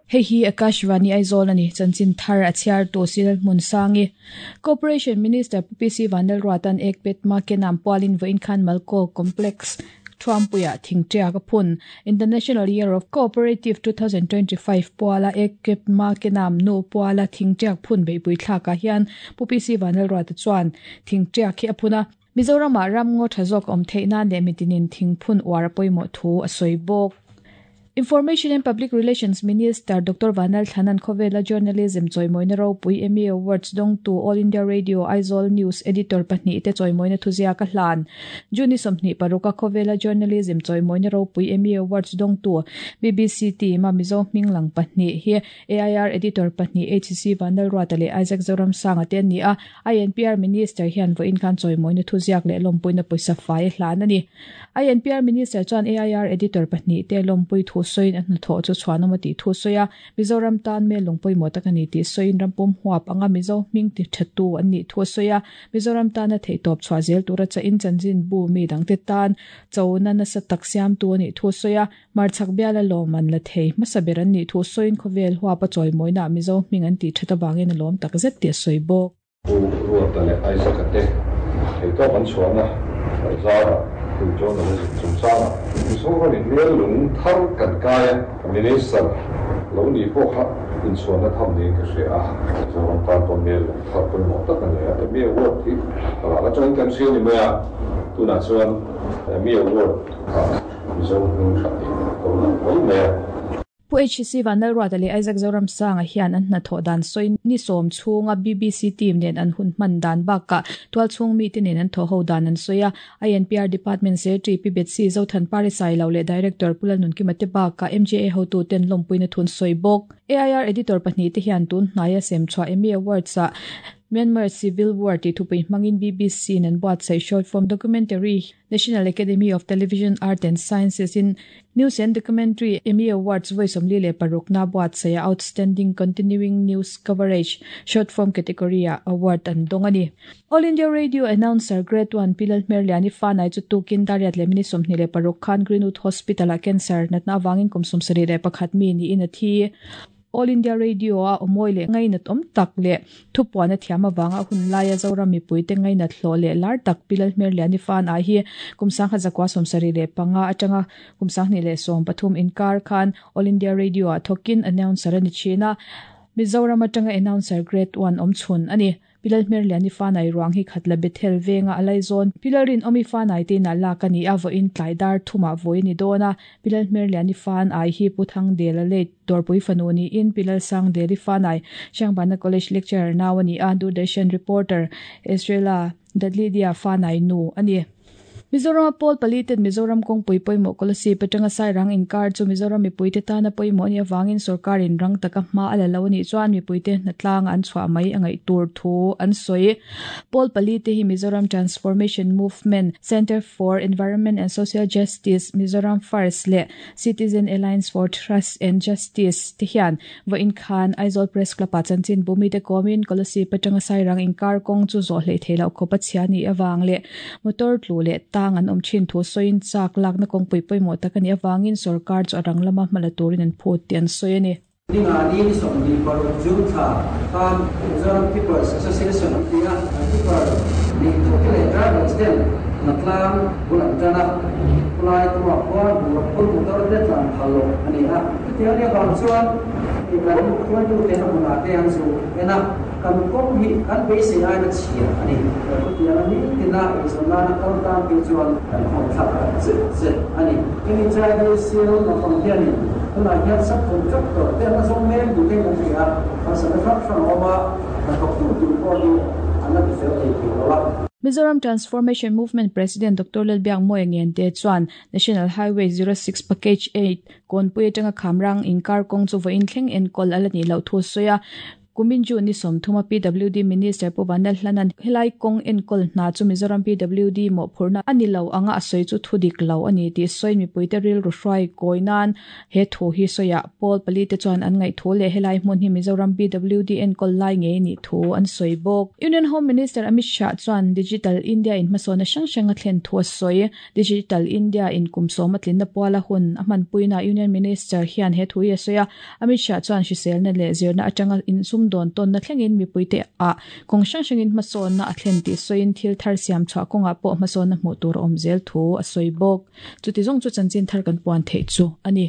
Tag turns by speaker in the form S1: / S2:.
S1: Hei hi Akashvani Aizawl a ni, chanchin thar a chhiartu Silal Hmunsangi. Cooperation Minister Pu PC Vanlalruata'n Ek Pet Ma Ke Naam pualin vawiin khan Malko Complex Thuampuiah thingṭiak a phun. International Year of Cooperative 2025 puala Ek Pet Ma Ke Naam nu puala thingṭiak phun beihpui thlakah hian Pu PC Vanlalruata chuan thingṭiak hi a phun a. Mizoramah ramngaw tha zawk awm theih nan leh mitinin thingphun uar a pawimawh thu a sawi bawk. Information and Public Relations Minister Doctor Vanal Thlanan khawvela Journalism chawimawina ropui Emmy Awards dawngtu All India Radio Aizawl News Editor pahnihte chawimawina thuziak a hlan. June 26 a khawvela Journalism chawimawina ropui Emmy Awards dawngtu BBC team a Mizo hming lang pahnih hi AIR Editor pahnih HC Vanlalruata leh Isaac Zoramsanga te an ni a. INPR Minister hian vawiin khan chawimawina thuziak leh lawmpuina pawisa fai a hlan a ni. INPR Minister chuan AIR Editor pahnihte lawmpui thu sawiin a hnathawh chu chhuanawm a tih thu sawi a, Mizoram tan mel lung pawimawh tak a ni tih sawiin rampum huap anga Mizo hming ti thatu an nih thu a sawi a, Mizoram tana theihtawp chhuah zel tura chahin chanchinbu mi dangte tan chona nasa tak siamtu a nih thu a sawi a. Hmarchhak biala lawm an la thei hmasa ber an nih thu sawiin khawvel huapa chawimawinaah Mizo hming an tih that avangin a lawm tak zet tih a sawi bawk.
S2: Pu Ruata leh Isaac-a te theihtawp an chhuahna zarah Pu Journalism chungchangah Mizoramin mel lung thar kan kai a, Minister lo nih pawh kha inchhuahna tham niin ka hria a, Mizoram tan pawh mel lung thar pawimawh tak a ni a, Emmy Award hi ral atangin kan hria ni mai a, tunah chuan Emmy Award ah Mizo hming hran hi ka lo lang mai mai a.
S1: Pu HC Vanlalruata leh Isaac Zoramsanga hian an hnathawh dan sawi ni sawm chhunga BBC team nen an hun hman dan bakah tualchhung mite nen an thawhho dan an sawi a. INPR Department Secretary Pi Betsy Zothanpari Sailo leh Director Pu Lalnunkima te bakah MJA hotuten lawmpuina thun sawi bawk. AIR Editor pahnihte hian tun hnaia semchhuah Emmy Awards-ah Myanmar Civil War tih thupui hmangin BBC-in an buatsaih short form documentary National Academy of Television Art and Sciences in News and Documentary Emmy Awards vawi 46 na buatsaih a Outstanding Continuing News Coverage, Short Form category-ah award an dawng a ni. All India Radio Announcer Grade One Pi Lalhmerliani Fanai chu tukin Dariat leh minute 26 khan Greenwood Hospital-ah cancer natna avangin kum 71 mi niin a thi. All India Radio-a awmawi leh ngainat awm tak leh thupuan a thiam avanga hun laia Zoram mipuite ngainat hlawh leh lar tak Pi Lalhmerliani Fan ah hi kum 1975 atanga kum 2013 inkar khan All India Radio-ah thawkin announcer a ni thin a, Mizoram atanga announcer Grade One awm chhun a ni. Pi Lalhmerliani Fanai ruang hi Khatla Bethel venga a laizawn Pi Lalrinawmi Fanai te inah lak a ni a, vawiin tlai dar thumah vawi a ni dawn a. Pi Lalhmerliani Fanai hi Pu Thangdela late Dawrpui fanu niin Pi Lalsangdeli Fanai, Hriangbana College lecturer nau a ni a, Doordarshan reporter Ezrela Dadlidia Fanai nu a ni. Mizorama pawl pali ten Mizoram kawngpui pawimawh Kolasib atanga Sairang inkar chu Mizoram mipuite tana pawimawh a nih avangin sorkarin rang taka hma a la lo a nih chuan mipuite hnatlanga an chhuah mai a ngaih tur thu an sawi. Pawl pali te hi Mizoram Transformation Movement, Centre for Environment and Social Justice, Mizoram First leh Citizen Alliance for Trust and Justice te hian Vawiin khan Aizawl Press Club-ah chanchin bu mite kawmin Kolasib atanga Sairang inkar kawng chu zawh hleih theih loh khawp a chhia nih avang leh motor tlu leh tang an awm thin thu sawiin chak lakna kawngpui pawimawh tak a nih avangin sorkar chu a rang lama hma la turin an phut tih an sawi a ni.
S3: Ninga ni ni 26 June thla khan Mizoram Tippers Association an ti a, an tipper nei tute leh drivers ten hnatlang bul an tan a, khulai kawngah khuan bungraw phur motor te tlan phal loh a ni a. Chutiang nia vang chuan kan hruaitute a hmunah te an zu en a, kan kawng hi kan beisei aina chhia a ni. Chutianga nitina eizawn nana kal tan phei chuan kan khawm thlak tak zet zet a ni. Hemi chai hi sial naupang hianin tunah hian subcontractor te an la zawng mek ni te kan hria a, harsatna hrang hrang a awm a, hnathawktu tur pawh hi an la ti fel thei thei lo a.
S1: Mizoram Transformation Movement President Doctor Lalbiakmawia Ngente chuan National Highway 06 Package 8 Kawnpui atanga Khamrang inkar kawng chu vawiin thleng enkawl a la nih loh thu a sawi a. Kumin June ni 30 a PWD Minister Pu Vanlalhlana'n helai kawng enkawl hna chu Mizoram PWD mawhphurhna a ni lo anga a sawi chu thudik lo a ni tih sawiin mipuite rilru hruai kawi nan he thu hi sawiah pawl palite chuan an ngaih thu leh helai hmun hi Mizoram PWD enkawl lai ngei nih thu an sawi bawk. Union Home Minister Amit Shah chuan Digital India in hmasawnna hrang hrang a thlen thu a sawi. Digital India in kum sawma tlinna puala hun a hmanpuinaah Union Minister hian he thu hi a sawi a. Amit Shah chuan hriselna leh zirna atanga insumdawn tawnna thlengin mipuite ah kawng hrang hrangin hmasawnna a thlen tih sawiin thil thar siam chhuah kawngah pawh hmasawnna hmuh tur a awm zel thu a sawi bawk. Chuti zawng chu chanchin thar kan puan theih chu a ni.